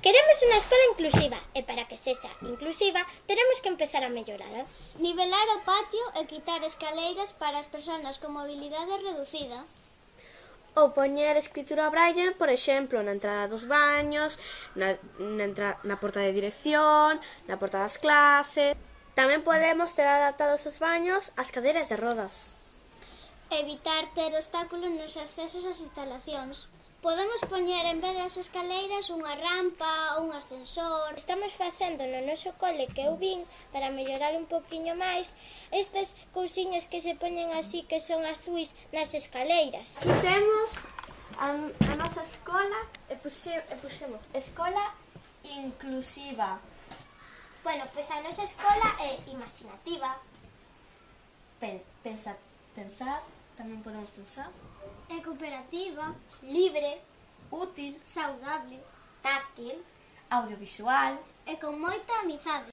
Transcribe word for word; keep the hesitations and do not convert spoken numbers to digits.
Queremos unha escola inclusiva e para que sexa inclusiva teremos que empezar a mellorala. Nivelar o patio e quitar escaleiras para as persoas con mobilidade reducida. Ou poñer escritura braille, por exemplo, na entrada dos baños, na, na, entra, na porta de dirección, na porta das clases. Tamén podemos ter adaptados os baños ás cadeiras de rodas. Evitar ter obstáculos nos accesos ás instalacións. Podemos poñer en vez das escaleiras unha rampa ou un ascensor. Estamos facendo no noso cole que eu vin para mellorar un poquinho máis estas cousiñas que se poñen así que son azuis nas escaleiras. Aquí temos a, a nosa escola e, puxe, e puxemos escola inclusiva. Bueno, pois a nosa escola é imaginativa. Pen, pensa, pensar, tamén podemos pensar. É cooperativa, libre, útil, saudable, táctil, audiovisual e con moita amizade.